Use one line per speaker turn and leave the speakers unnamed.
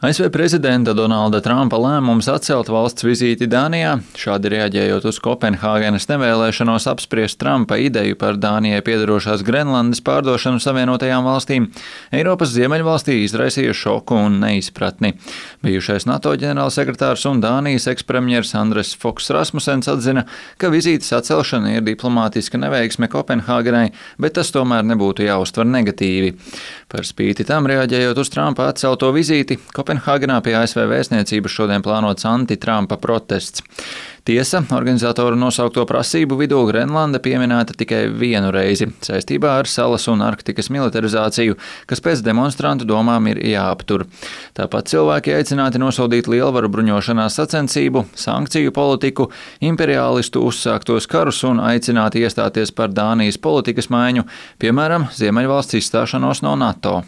ASV prezidenta Donalda Trumpa lēmums atcelt valsts vizīti Dānijā, šādi reaģējot uz Kopenhāgenas nevēlēšanos apspriest Trumpa ideju par Dānijai piederošās Grenlandes pārdošanu Savienotajām valstīm, Eiropas ziemeļvalstī izraisīja šoku un neizpratni. Bijušais NATO ģenerālsekretārs un Dānijas ekspremjers Andres Fogh Rasmussens atzina, ka vizītes atcelšana ir diplomātiska neveiksme Kopenhāgenai, bet tas tomēr nebūtu jāuztver negatīvi. Par spīti tam reaģējot uz Trumpa atcelto vizīti, Kopenhāgenā pie ASV vēstniecības šodien plānots anti-Trumpa protests. Tiesa, organizatoru nosaukto prasību vidū Grenlanda pieminēta tikai vienu reizi saistībā ar salas un Arktikas militarizāciju, kas pēc demonstrantu domām ir jāaptur. Tāpat cilvēki aicināti nosodīt lielvaru bruņošanās sacensību, sankciju politiku, imperiālistu uzsāktos karus un aicināti iestāties par Dānijas politikas maiņu, piemēram, Ziemeļvalsts izstāšanos no NATO.